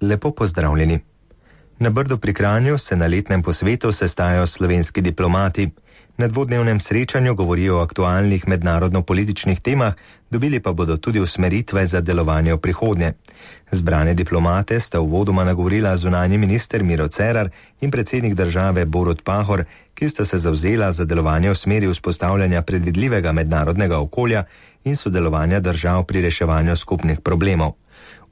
Lepo pozdravljeni. Na Brdu pri Kranju se na letnem posvetu sestajajo slovenski diplomati. Na dvodnevnem srečanju govorijo o aktualnih mednarodno-političnih temah, dobili pa bodo tudi usmeritve za delovanje v prihodnje. Zbrane diplomate sta uvodoma nagovorila zunanji minister Miro Cerar in predsednik države Borut Pahor, ki sta se zavzela za delovanje v smeri vzpostavljanja predvidljivega mednarodnega okolja in sodelovanja držav pri reševanju skupnih problemov.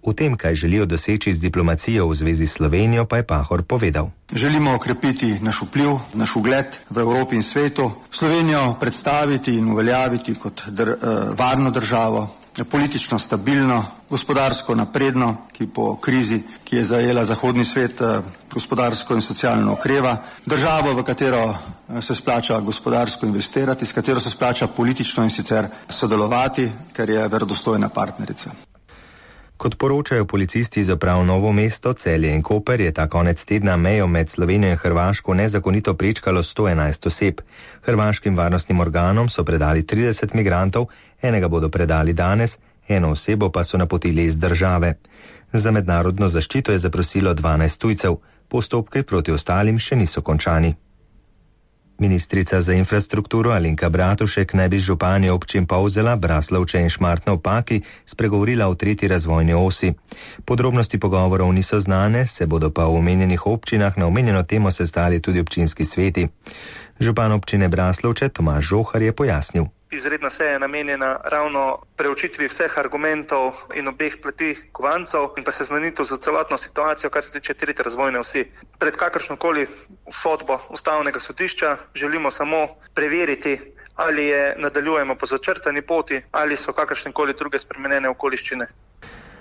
V tem, kaj želijo doseči z diplomacijo v zvezi s Slovenijo, pa je Pahor povedal. Želimo okrepiti naš vpliv, naš ugled v Evropi in svetu, Slovenijo predstaviti in uveljaviti kot varno državo, politično stabilno, gospodarsko napredno, ki po krizi, ki je zajela zahodni svet, gospodarsko in socialno okreva, državo, v katero se splača gospodarsko investirati, s katero se splača politično in sicer sodelovati, ker je verodostojna partnerica. Kot poročajo policisti iz uprav Novo mesto, Celje in Koper, je ta konec tedna mejo med Slovenijo in Hrvaško nezakonito prečkalo 111 oseb. Hrvaškim varnostnim organom so predali 30 migrantov, enega bodo predali danes, eno osebo pa so napotili iz države. Za mednarodno zaščito je zaprosilo 12 tujcev, postopke proti ostalim še niso končani. Ministrica za infrastrukturo Alenka Bratušek naj bi z župani občin Polzela, Braslovče in Šmartno ob Paki spregovorila o 3. razvojni osi. Podrobnosti pogovorov niso znane, se bodo pa v omenjenih občinah na omenjeno temo sestali tudi občinski sveti. Župan občine Braslovče Tomaž Žohar je pojasnil. Izredna seja je namenjena ravno preučitvi vseh argumentov in obeh plati kovancev in pa seznanitev za celotno situacijo, kar se tiče 3. razvojne osi. Pred kakršnokoli sodbo Ustavnega sodišča želimo samo preveriti, ali nadaljujemo po začrtani poti ali so kakršnekoli druge spremenjene okoliščine.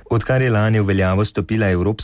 Odkar je lani v veljavo stopila evropska